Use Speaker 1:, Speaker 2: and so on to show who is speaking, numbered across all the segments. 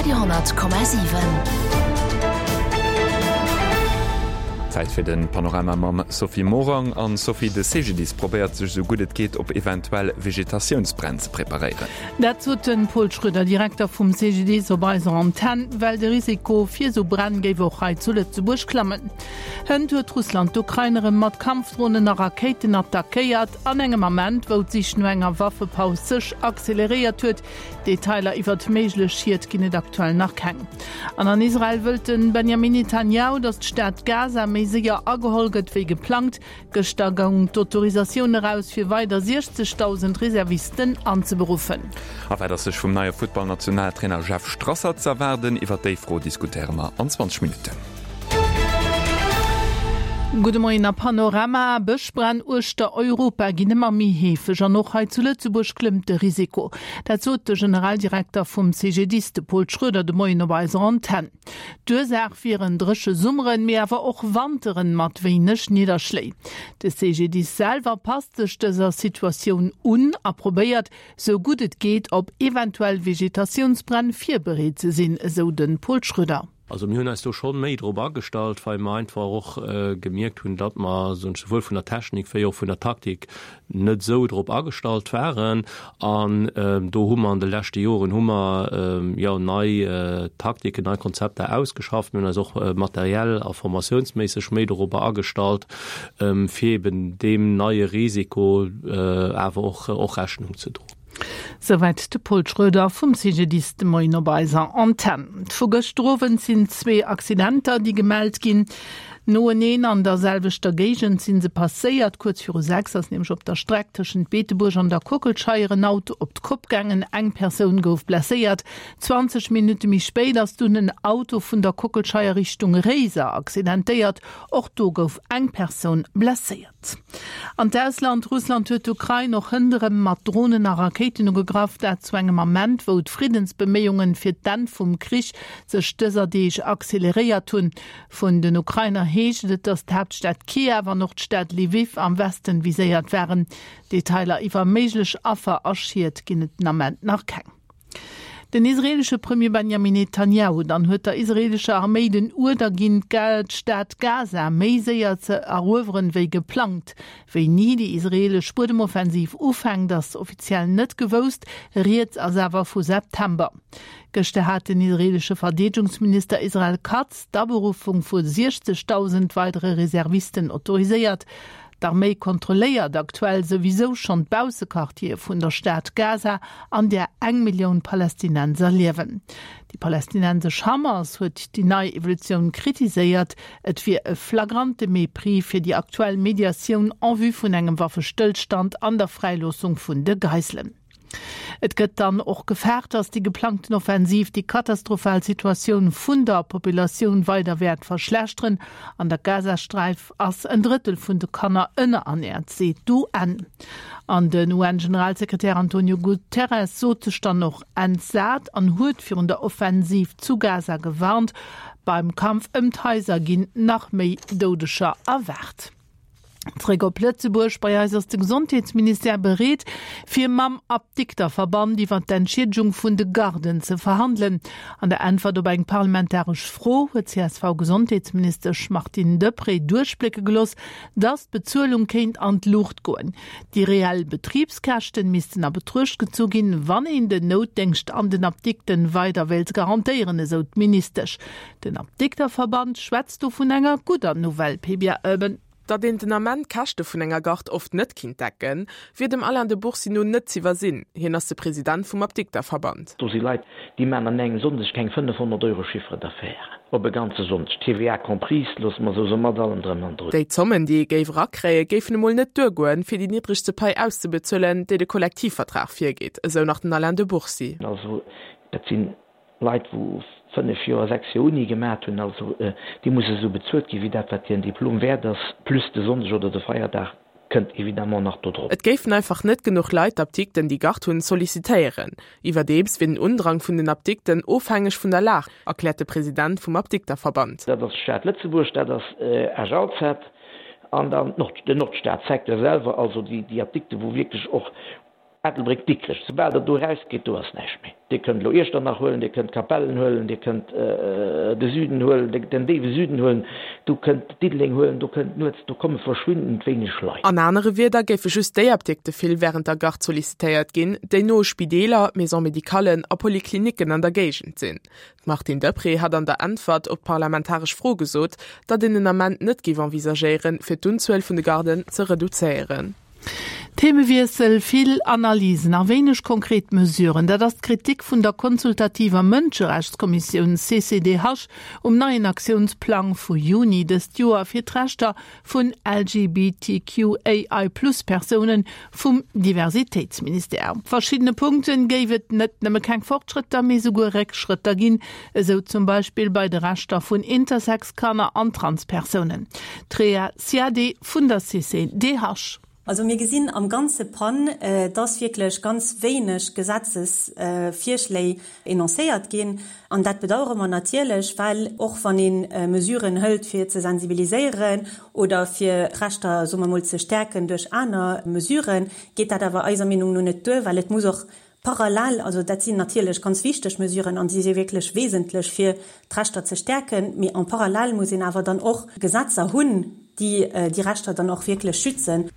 Speaker 1: Radio 10,7.
Speaker 2: Zäit fir den Panorama mam Sophie Morang. An Sophie, de CGDIS probéiert sech esou gutt et geet op eventuell Vegetatiounsbränn ze preparéieren.
Speaker 3: Dat sot de Paul Schroeder, Direkter vum CGDIS op eiser Antenn, well de Risiko fir esou Bränn géif och hei zu Lëtzebuerg klammen. Hënt huet Russland d'Ukrain erëm mat Kampfdronen a Rakéiten attackéiert, an engem Ament, wou d'Sich no enger Waffepaus sech acceleréiert huet. Detailer iwwert méiglech Schied ginn et aktuell nach keng. An an Israel wëllt de Benjamin Netanjahu, datt d'Stad Gaza méi séier ageholl gëtt wéi geplangt. Gëschter goung d'Autorisatioun eraus, fir weider 60.000 Reservisten anzeberuffen.
Speaker 2: A wat ass sech vum neie Futtballnationaltrainer Jeff Strasser z'erwaarden? Iwwer déi Fro diskutéiere mer an 20 Minutten.
Speaker 3: Gudde Moien a Panorama. Bëschbränn uechter Europa ginn ëmmer méi heefeg an och hei zu Lëtzebuerg klëmmt de Risiko. Dat sot de Generaldirekter vum CGDIS, de Paul Schroeder, de Moien op eiser Antenn. D'Ursaach wieren dréche Summeren, mee awer och Wanteren mat wéineg Nidderschléi. De CGDIS selwer passt sech dëser Situatioun un a probéiert, sou gutt et geet, op eventuell Vegetatiounsbränn virbereet ze sinn, esou de Paul Schroeder.
Speaker 4: Also mir hunn eis do scho méi drop agestallt, well mer einfach och gemierkt hunn, datt mer souwuel vun der Technik wéi och vun der Taktik net esou drop agestallt waren. An do hu mer an de leschte Joren hu mer jo nei Taktiken, nei Konzepter ausgeschafft. Mir hunn eis och materiell a formatiounsméisseg méi dorobber agestallt, fir eben deem neie Risiko awer och Rechnung ze droen.
Speaker 3: Souwäit de Paul Schroeder vum CGDIS de Moien op eiser Antenn. Vu gëschter Owend sinn zwee Accidenter, déi gemellt ginn. Noeneen an der selwechter Géigend si se passéiert. Kuerz viru 6 ass nämlech op der Streck tëschent Beetebuerg an der Kockelscheier en Auto op d'Kopp gaangen. Eng Persoun gouf blesséiert. 20 Minutte méi spéit ass dunn en Auto vun der Kockelscheier Richtung Réiser accidentéiert. Och do gouf eng Persoun blesséiert. An d'Ausland, Russland huet d'Ukrain och hënt erëm mat Dronen a Rakéiten ugegraff, dat zu engem Ament, wou d'Friddensbeméiungen fir d'Enn vum Krich sech dëser Deeg acceleréiert hunn. Vun den Ukrainer heescht et, datt d'Haaptstad Kiew an och d'Stad Lwiw am Westen viséiert waren. Detailer iwwer méiglech Affer a Schied ginn et den Ament nach keng. Den israeelesche Premier Benjamin Netanjahu dann huet der israeelescher Arméi den Uerder ginn, d'Stad Gaza méi séier ze erueweren, wéi geplangt. Wéini déi israeelesch Buedemoffensiv ufänkt, ass offiziell net gewousst, rieds ass awer vu September. Gëschter hat den israeelesche Verdeedegungsminister Israel Katz d'Aberuffung vu 60.000 weidere Reservisten autoriséiert. D'Arméi kontrolléiert aktuell souwisou schonn d'Baussequartiere vun der Stad Gaza, an där eng Millioun Palästinenser liewen. Déi palästinensesch Hamas huet déi nei Evolutioun kritiséiert. Et wier e flagrante Mépris fir déi aktuell Mediatioun en vue vun engem Waffestëllstand an der Fräiloossung vun de Geiselen. Et gëtt dann och gefaart, datt déi geplangten Offensiv déi katastrophal Situatioun vun der Populatioun weider wäert verschlechteren. An der Gazasträif ass en Drëttel vun de Kanner ënnerernäert, seet d'UN. An den UN-Generalsekretär Antonio Guterres sot sech dann och entsat an huet virun der Offensiv zu Gaza gewarnt. Beim Kampf ëm d'Haiser ginn nach méi Doudeger erwaart. Zréck op Lëtzebuerg, Bei eis ass de Gesondheetsministère bereet, fir mam Apdikterverband iwwer d'Entschiedegung vun de Garden ze verhandelen. An der Äntwert op eng parlamentaresch Fro huet d'CSV-Gesondheetsministesch Martine Deprez duerchblécke gelooss, datt d'Bezuelung kéint an d'Luucht goen. Déi reell Betribskäschten missten a Betruecht gezu ginn, wann een den Noutdéngscht an den Apdikten weider wéilt garantéieren, esou d'Ministesch. Den Apdikterverband schwätzt do vun enger gudder Nouvelle, Pia Oeben.
Speaker 5: Datt een den Ament d'Käschte vun enger Gard oft net kinnt decken, wier dem Alain de Bourcy no net z'iwwersinn. Hien ass de President vum Apdikterverband.
Speaker 6: Do si Leit, déi maachen an engem Sonndeg keng 500 Euro Chiffre d'affaires op e ganze Sonndeg, TVA comprise, loosse mer esou soen, mat allem drëm an drun.
Speaker 5: Déi Zommen, déi ee géif erakréien, géifen emol net duergoen, fir déi niddregste Pai auszebezuelen, déi de Kollektivvertrag virgeet, esou nach den Alain de Bourcy.
Speaker 6: Also dat sinn Leit wou 5 Joer, 6 Joer Uni gemat hunn, also déi musse sou bezuelt ginn, wéi dat wat hiren Diplom wäert ass, plus de Sonndeg oder de Feierdag kënnt évidemment nach do drop.
Speaker 5: Et géifen einfach net genuch Leit d'Apdikten, déi Gard hunn, sollicitéieren. Iwwerdeems wier den Undrang vun den Apdikten ofhängeg vun der Lag, erkläert de President vum Apdikterverband.
Speaker 6: Dat ass d'Stad Lëtzebuerg, dat ass Esch-Alzette an dann den Nordstadsecteur selwer, also déi Apdikte wou wierklech och. Ettelbréck, Dikrech, soubal Der do erausgeet, do ass näischt méi. Dir kënnt elo Iechternach huelen, Dir kënnt Capellen huelen, Dir kënnt de Süden huelen, den déiwe Süden huelen, do kënnt Diddeleng huelen, do kënnt nuets, do komme verschwindend wéineg Leit.
Speaker 5: An anere Wierder géife just déi Apdikte vill wärend der Garde sollicitéiert ginn, déi no u Spideeler, Maison-médicallen a Poliklinicken an der Géigend sinn. D'Martine Deprez hat an der Äntwert op d'parlamentaresch Fro gesot, datt een den Ament net géif envisagéieren, fir d'Unzuel vun de Garden ze reduzéieren.
Speaker 3: Themewiessel, Vill Analysen a wéineg konkret Mesuren, dat ass d'Kritik vun der consultativer Mënscherechtskommissioun CCDH um neien Aktiounsplang vu Juni dëst Joer fir d'Rechter vun LGBTQAI-Plus-Persounen vum Diversitéitsministère. Op verschiddene Punkte géif et net nëmme keng Fortschrëtter, mee souguer Réckschrëtter ginn, esou zum Beispill bei de Rechter vun Intersex-Kanner an Transpersounen. D'Rhéa Ziadé vun der CCDH.
Speaker 1: Also mir gesinn am ganze PAN, dass wierklech ganz wéineg Gesetzesvirschléi enoncéiert ginn. An dat bedauere mer natierlech, well och wann ee Mesuren hëlt, fir ze sensibiliséieren oder fir d'Rechter, soe mer emol, ze stäerken duerch aner Mesuren, geet dat awer eiser Meenung no net duer, well et muss och parallel, also dat sinn natierlech ganz wichteg Mesuren an si si wierklech wesentlech, fir d'Rechter ze stäerken, mee en parallèle muss een awer dann och Gesetzer hunn, déi déi Rechter dann och wierklech schützen.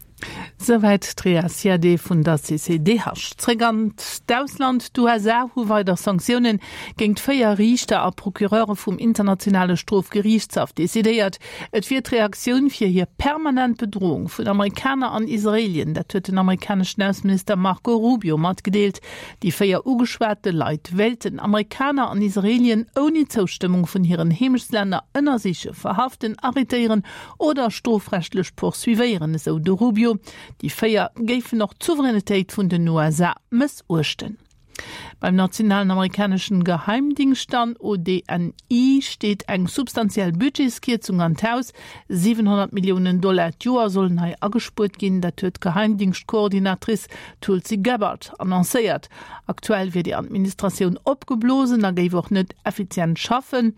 Speaker 3: Souwäit d'Rhéa Ziadé vun der CCDH. Zréck an d'Ausland, D'USA hu weider Sanktioune géint 4 Riichter a Procureure vum internationale Strofgeriichtshaff decidéiert. Et wier d'Reaktioun fir hir permanent Bedroung vun Amerikaner an Israelien. Dat huet den amerikaneschen Ausseminister Marco Rubio matgedeelt. Déi 4 ugeschwate Leit wéilten Amerikaner an Israelien ouni Zoustëmmung vun hiren Heemechtslänner ënnersichen, verhaften, arrêtéieren oder strofrechtlech poursuivéieren, esou de Rubio. Déi 4 géifen och d'Souveränitéit vun den USA mëssuechten. Beim nationalen amerikaneschen Geheimdingscht dann, ODNI, steet eng substantiell Budgetskierzung an d'Haus. 700 Milliounen Dollar d'Joer sollen hei agespuert ginn, dat huet d'Geheimdingschtkoordinatrice Tulsi Gabbard annoncéiert. Aktuell wier déi Administratioun opgeblosen a géif och net effizient schaffen.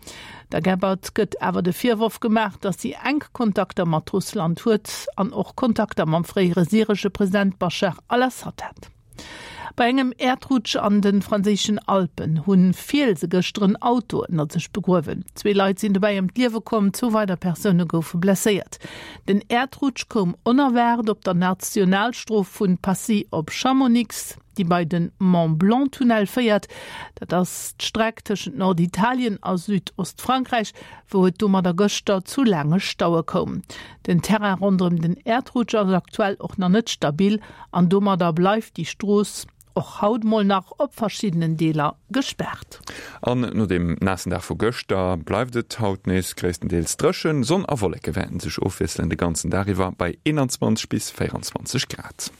Speaker 3: Der Gabbard gëtt awer de Virworf gemaach, datt si enk Kontakter mat Russland huet an och Kontakter mam fréiere syresche President Baschar al-Assad hat. Bei engem Äerdrutsch an de franséischen Alpen hu Fielse gëschter en Auto ënnert sech begruewen. Zwee Leit sinn dobäi ëm d'Liewe komm, zwou weider Persoune goufe blesséiert. Den Äerdrutsch koum onerwaart op der Nationalstrooss vu Passy op Chamonix, déi bei de Mont-Blanc-Tunnel féiert. Dat ass d'Streck tëschent Norditalien a Südostfrankräich, wou et domadder gëschter zu laange Staue koum. Den Terrain ronderëm den Äerdrutsch ass aktuell och nach net stabil an domadder bleift déi Strooss och haut mol nach op verschiddenen Deeler gespaart.
Speaker 2: An no deem naassen Dag vu gëschter bleift et haut nees gréisstendeels dréchen. Sonn a Wolleke wäerten sech ofwiesselen de ganzen Dag iwwer bei 21 bis 24 Grad.